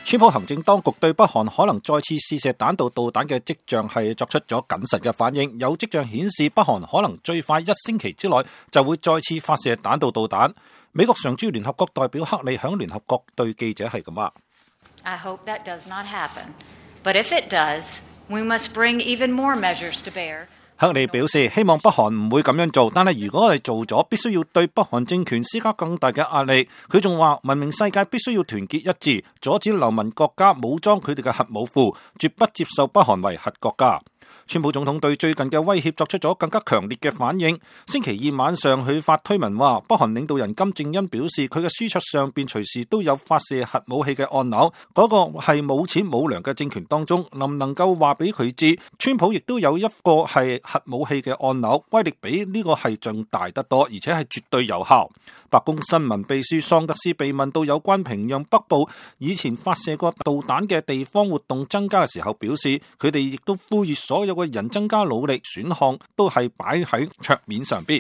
川普行政當局對北韓可能再次試射彈道導彈嘅跡象係作出咗謹慎嘅反應，有跡象顯示北韓可能最快1星期之內就會再次發射彈道導彈。美國常駐聯合國代表克里響聯合國對記者係咁話：I hope that does not happen, but if it does, we must bring even more measures to bear。克里表示希望北韓唔會咁樣做，但係如果係做咗，必須要對北韓政權施加更大嘅壓力。佢仲話文明世界必須要團結一致，阻止流氓國家武裝佢哋嘅核武庫，絕不接受北韓為核國家。川普總統對最近嘅威脅作出咗更加強烈嘅反應。星期二晚上佢發推文話，北韓領導人金正恩表示佢嘅書桌上邊隨時都有發射核武器嘅按鈕，嗰個係冇錢冇糧嘅政權當中，能唔能夠話俾佢知，川普亦都有一個係核武器嘅按鈕，威力比呢個係仲大得多，而且係絕對有效。白宮新聞秘書桑德斯被問到有關平壤北部以前發射過導彈嘅地方活動增加嘅時候，表示佢哋亦都呼籲所有嘅人增加努力，選項都係擺喺桌面上邊。